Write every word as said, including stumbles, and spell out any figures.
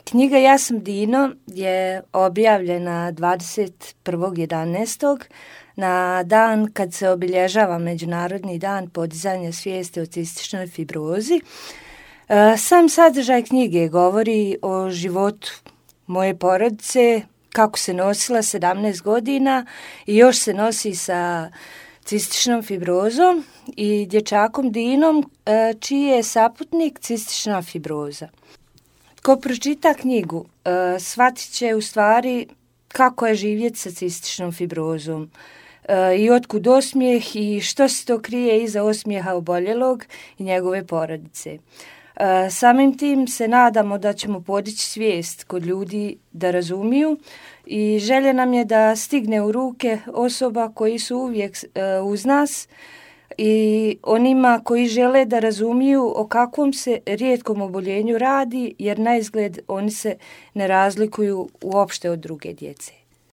Knjiga Ja sam Dino je objavljena dvadeset prvog jedanaestog na dan kad se obilježava Međunarodni dan podizanja svijesti o cističnoj fibrozi. Sam sadržaj knjige govori o životu moje porodice, kako se nosila sedamnaest godina i još se nosi sa cističnom fibrozom i dječakom Dinom, čiji je saputnik cistična fibroza. Ko pročita knjigu, shvatit će u stvari kako je živjeti sa cističnom fibrozom i otkud osmijeh i što se to krije iza osmijeha oboljelog i njegove porodice. Samim tim se nadamo da ćemo podići svijest kod ljudi da razumiju i želja nam je da stigne u ruke osoba koji su uvijek uz nas i onima koji žele da razumiju o kakvom se rijetkom oboljenju radi, jer na izgled oni se ne razlikuju uopšte od druge djece.